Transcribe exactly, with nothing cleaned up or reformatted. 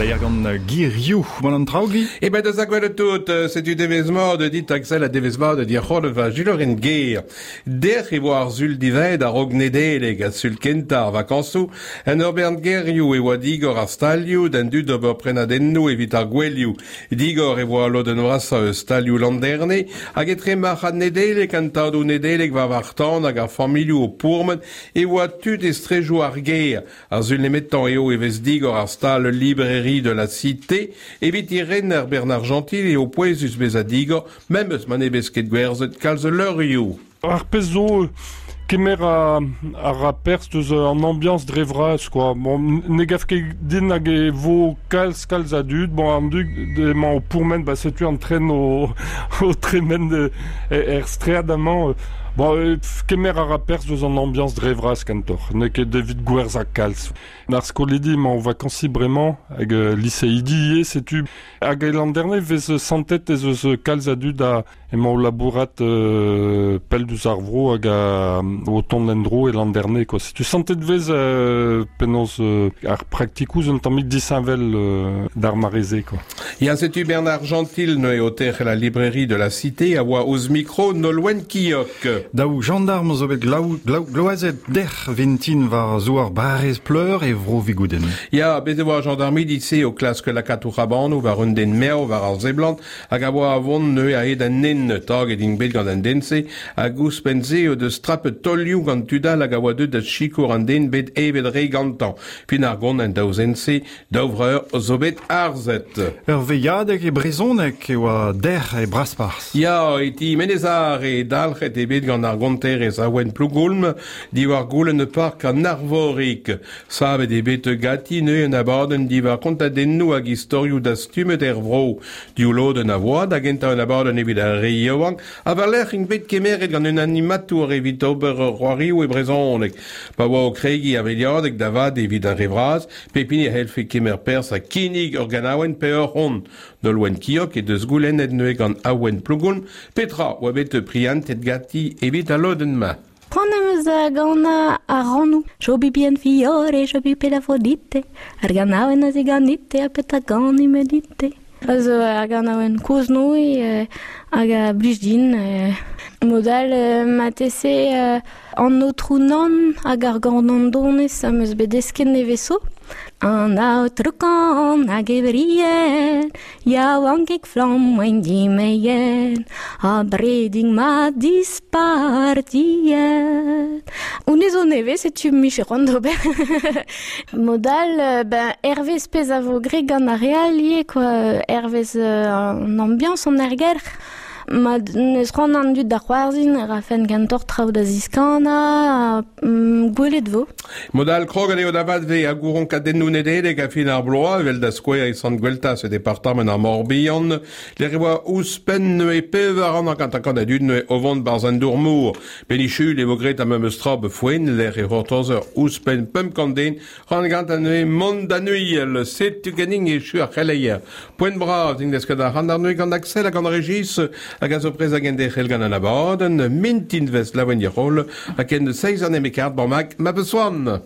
c'heleier gant Girioù. Bon an traoù, Guy? E ben deus a gwelet tout, setu devez mat dit Axel a devez mat dir c'hol va juloren ger. Derc'h e vo ar zul dived a rog nedeleg a sul kenta ar vakañsoù, en ur bern gerioù e oa digor ar stalioù d'an dud d'ober prenadennoù evit ar gwelioù. Digor e voa lodenn vrasa eus stalioù landerne, hag etre marc'had nedeleg an tadoù nedeleg war war tan hag ar familhoù o pourmen e oa tud estrejoù ar ger. Ar zul nemetañ eo e vez digor ar stal librairie de la Cité, evit i renner Bernard Gentil eo pouezus bez a digor, mem eus ma ne vez ket gwerzhet kalz leurioù. Ar pezh zo kemer a, a ra perzh deus an ambiance dre vras, quoi. Bon, ne gaf ket din hag e vo kalz kalz a dud, bon, an dud emañ o pourmen, ba setu an tren o, o tremen de, er stread amañ. Bon, kemer a ra perzh deus an ambiance dre vras kentoc'h, n'eo ket evit gwerzh a kalz. Ar skolidi emañ o vakansi bremañ hag euh, liseidi ivez, setu hag e landerne vez santet ez eus kalz a dud a emañ o labourat euh, pell deus ar vro hag a, o tont en-dro e landerne, quoi. Setu santet vez euh, penaos euh, ar praktikoù un tammig disheñvel euh, d'ar mareze, quoi. Ya setu Bernard Gentil neuze o terc'hel la librairie de la Cité a oa ouzh mikro Nolwenn Kiok. Daou gendarm zo bet glaou, glaou, gloazet derc'h vintin war zouar barrez pleur e vro vigouden. Ya, bez e oa gendarmidi se o klask lakaat o c'habanoù war un den merv war ar zeblant hag a oa avon neuze a hed an nen taget int bet gant an den-se hag ouzhpenn se o deus trapet tolioù gant tudal hag a oa deut da sikour an den bet evet re gantañ. Fin ar gont an daou zen-se, daou vreur zo bet arzet. Ur veilhadeg e brezhoneg e oa derc'h e Brasparzh. Ya, e ti Menezar e dalc'het e bet gant ar gonterez a ouen Plougoulm diwar goulenn e park an Arvorig. Savet e bet gati neuze un abadenn diwar kontadennoù hag istorioù dastumet er vro. Div lodenn a voa da gentañ un abadenn evit ar re yaouank ha war-lerc'h int bet kemeret gant un animatour evit ober ur c'hoarioù e brezhoneg. Pa oa o kregiñ ar veilhadeg da vat evit ar re vras, pep hini a c'hellfe kemer perzh ha kinnig ur ganaouenn pe ur c'hont. Nolwenn Kiok e deus goulennet neuze gant Awen Plougoulm, petra oa bet prientet gati evit al lodenn-mañ. C'hoant am eus da ganañ ar rannoù. Jobi bien fiore, jobi pelafrodite. Ar ganaouenn a ziganite, ha petra gani me dite. Eus ar ganaouenn kozh noi euh, hag a blij din. Euh, modal euh, matese euh, an aotrou nann hag ar gornandonez am eus bet desket neveso. An aotrou kan hag e vrien, yaouankik flamm oen dimeien, ha breding ma dispartiet. Honnezh zo nevez, setu mich c'hoant d'ober. Modal, euh, ben, hervez pezh a vo graet gant ar re all ivez, quoi. Hervez euh, an ambiance an ergelc'h. Ma neus c'hoant an dud da c'hoarzhin, e rafen kentoc'h traoù da ziskanañ, ha mm, gwelet vo. Modal kroget eo da vat ve a gouron kadennoù nedeleg a fin ar bloaz, evel da skouer e Sant Gweltaz e departement ar Morbihan. Lec'h e oa ouzhpenn neuze pevar an an kant a dud neuze o vont barzh an dour-mor. Benichul e vo graet ar memes tra befoen, lec'h e c'hortozer ouzhpenn pemp kant den, ran gant an neuze mont da neuiel, setu ganin e chu ar c'heleier. Poent bras, int deus ket ar c'hant ar neuze gant Axel hag an Régis, hag a zo prez hag en derc'hel gant an abadenn, mintin vez laouen dirol, hag en seiz an emekart bamag ma besoan.